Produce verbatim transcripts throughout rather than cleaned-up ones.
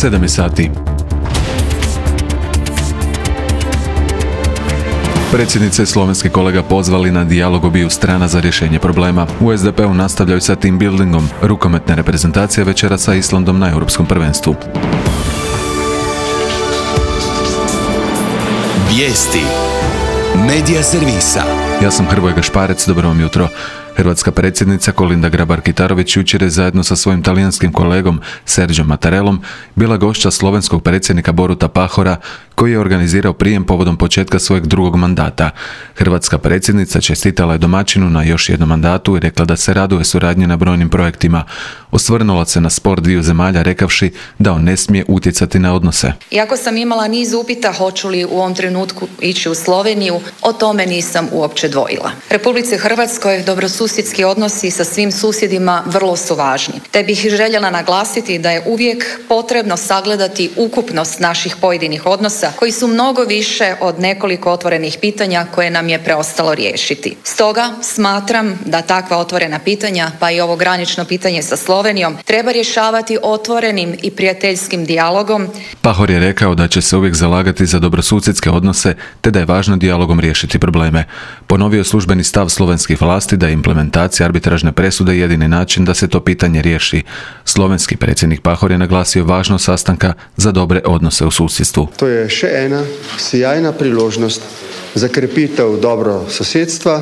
sedam je sati. Predsjednica i slovenski kolega pozvali na dijalog obiju strana za rješenje problema. U es de pe-u nastavljaju sa team buildingom. Rukometna reprezentacija večera sa Islandom na Europskom prvenstvu. Vijesti Medija servisa. Ja sam Hrvoje Gašparec, dobro vam jutro. Hrvatska predsjednica Kolinda Grabar-Kitarović jučer je zajedno sa svojim talijanskim kolegom Sergio Mattarellom bila gošća slovenskog predsjednika Boruta Pahora, koji je organizirao prijem povodom početka svojeg drugog mandata. Hrvatska predsjednica čestitala je domaćinu na još jednom mandatu i rekla da se raduje suradnje na brojnim projektima. Osvrnula se na spor dviju zemalja rekavši da on ne smije utjecati na odnose. Iako sam imala niz upita hoću li u ovom trenutku ići u Sloveniju, o tome nisam uopće dvojila. Republici Hrvatskoj dobrosusjedski odnosi sa svim susjedima vrlo su važni, te bih željela naglasiti da je uvijek potrebno sagledati ukupnost naših pojedinih odnosa koji su mnogo više od nekoliko otvorenih pitanja koje nam je preostalo riješiti. Stoga smatram da takva otvorena pitanja, pa i ovo granično pitanje sa Slovenijom, treba rješavati otvorenim i prijateljskim dijalogom. Pahor je rekao da će se uvijek zalagati za dobrosusjedske odnose, te da je važno dijalogom riješiti probleme. Ponovio je službeni stav slovenskih vlasti da je implementacija arbitražne presude jedini način da se to pitanje riješi. Slovenski predsjednik Pahor je naglasio važnost sastanka za dobre odnose u susjedstvu. To je še ena sjajna priložnost za krepitev dobro sosedstva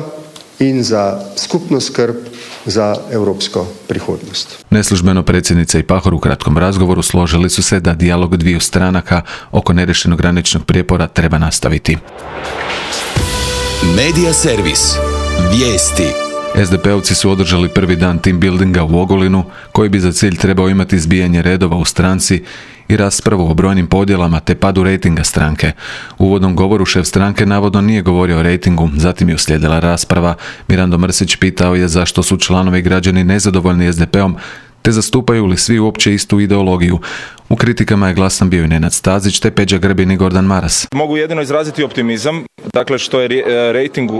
in za skupno skrb za evropsko prihodnost. Neslužbeno predsjednica i Pahor u kratkom razgovoru složili su se da dijalog dviju stranaka oko nerješenog graničnog prijepora treba nastaviti. Medija servis. Vijesti. es de pe-ovci su održali prvi dan team buildinga u Ogulinu, koji bi za cilj trebao imati izbijanje redova u stranci i raspravu o brojnim podjelama te padu rejtinga stranke. U uvodnom govoru šef stranke navodno nije govorio o rejtingu, zatim je uslijedila rasprava. Mirando Mrsić pitao je zašto su članovi i građani nezadovoljni es de pe-om, te zastupaju li svi uopće istu ideologiju. U kritikama je glasan bio i Nenad Stazić, te Peđa Grbin i Gordan Maras. Mogu jedino izraziti optimizam, dakle što je rejting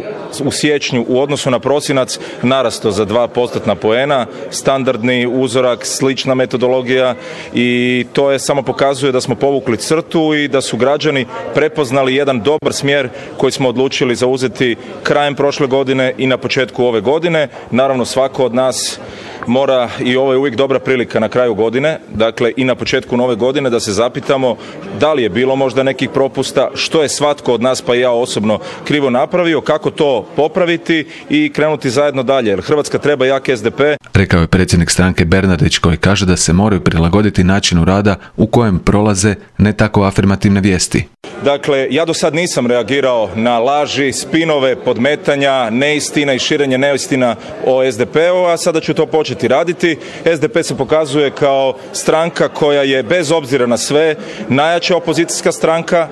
u siječnju u odnosu na prosinac narastao za dva postotna poena, standardni uzorak, slična metodologija, i to je samo pokazuje da smo povukli crtu i da su građani prepoznali jedan dobar smjer koji smo odlučili zauzeti krajem prošle godine i na početku ove godine. Naravno, svako od nas mora, i ovo je uvijek dobra prilika na kraju godine, dakle i na početku nove godine, da se zapitamo da li je bilo možda nekih propusta, što je svatko od nas, pa i ja osobno, krivo napravio, kako to popraviti i krenuti zajedno dalje, jer Hrvatska treba jak es de pe. Rekao je predsjednik stranke Bernardić, koji kaže da se moraju prilagoditi načinu rada u kojem prolaze ne tako afirmativne vijesti. Dakle, ja do sad nisam reagirao na laži, spinove, podmetanja, neistina i širenje neistina o es de pe-u, a sada ću to početi raditi. es de pe se pokazuje kao stranka koja je bez obzira na sve najjača opozicijska stranka,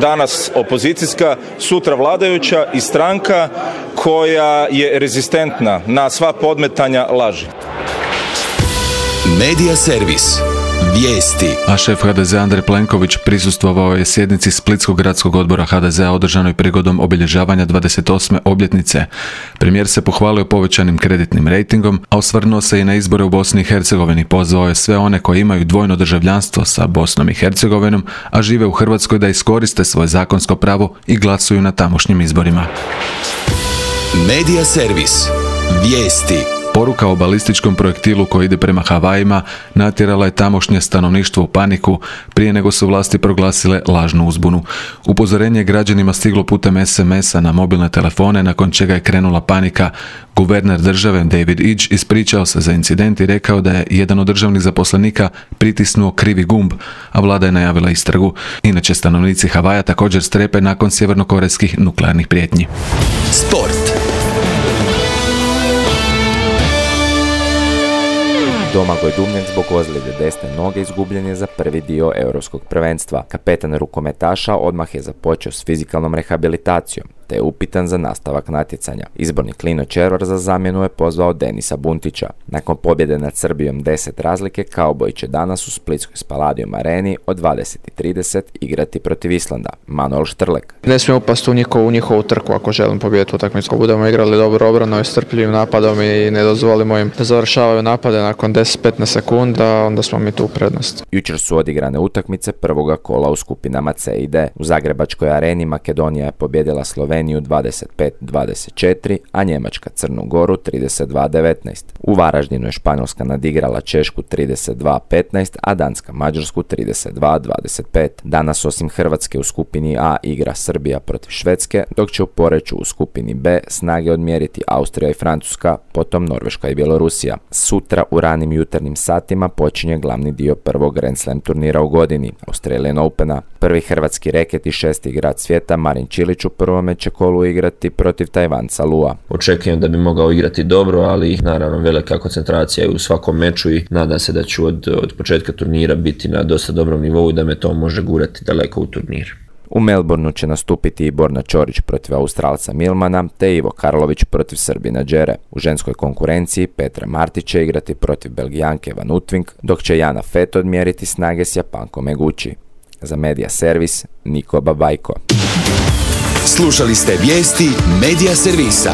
danas opozicijska, sutra vladajuća i stranka koja je rezistentna na sva podmetanja laži. Medija servis. Vijesti. A šef ha de ze Andrej Plenković prisustvovao je sjednici Splitskog gradskog odbora ha de zea održanoj prigodom obilježavanja dvadeset osme obljetnice. Premijer se pohvalio povećanim kreditnim rejtingom, a osvrnuo se i na izbore u Bosni i Hercegovini. Pozvao je sve one koji imaju dvojno državljanstvo sa Bosnom i Hercegovinom, a žive u Hrvatskoj, da iskoriste svoje zakonsko pravo i glasuju na tamošnjim izborima. Medija servis. Vijesti. Poruka o balističkom projektilu koji ide prema Havajima natjerala je tamošnje stanovništvo u paniku prije nego su vlasti proglasile lažnu uzbunu. Upozorenje je građanima stiglo putem es em esa na mobilne telefone, nakon čega je krenula panika. Guverner države David Idge ispričao se za incident i rekao da je jedan od državnih zaposlenika pritisnuo krivi gumb, a vlada je najavila istragu. Inače, stanovnici Havaja također strepe nakon sjevernokorejskih nuklearnih prijetnji. Sport. Domagoj Dubnjak zbog ozljede desne noge izgubljen je za prvi dio europskog prvenstva. Kapetan rukometaša odmah je započeo s fizikalnom rehabilitacijom, te je upitan za nastavak natjecanja. Izborni Klino Červar za zamjenu je pozvao Denisa Buntića. Nakon pobjede nad Srbijom deset razlike, Kauboji će danas u splitskoj Spaladium areni od dvadeset i trideset igrati protiv Islanda. Manuel Štrlek. Ne smijemo upasti u njihovu, u njihovu trku ako želim pobijediti utakmicu. Ako budemo igrali dobro obrano i strpljivim napadom i ne dozvolimo im da završavaju napade nakon deset do petnaest sekunda, onda smo mi tu u prednosti. Jučer su odigrane utakmice prvoga kola u skupinama C i D. U Zagrebačkoj areni Makedonija je pobijedila Sloveniju dvadeset pet dvadeset četiri, a Njemačka Crnu Goru trideset dva devetnaest. U Varaždinu je Španjolska nadigrala Češku trideset dva petnaest, a Danska Mađarsku trideset dva dvadeset pet. Danas osim Hrvatske u skupini A igra Srbija protiv Švedske, dok će u Poreču u skupini B snage odmjeriti Austrija i Francuska, potom Norveška i Bjelorusija. Sutra u ranim jutarnjim satima počinje glavni dio prvog Grand Slam turnira u godini, Australian Opena. Prvi hrvatski reket i šesti igrač svijeta Marin Čilić u prvome će kolu igrati protiv Tajvanca Lua. Očekujem da bi mogao igrati dobro, ali naravno velika koncentracija u svakom meču i nadam se da ću od, od početka turnira biti na dosta dobrom nivou i da me to može gurati daleko u turnir. U Melbourneu će nastupiti i Borna Ćorić protiv Australca Milmana, te Ivo Karlović protiv Srbina Đere. U ženskoj konkurenciji Petra Martić će igrati protiv Belgijanke Van Utving, dok će Jana Fett odmjeriti snage s Japankom Eguchi. Za Media Servis, Niko Babajko. Slušali ste vijesti Media Servisa.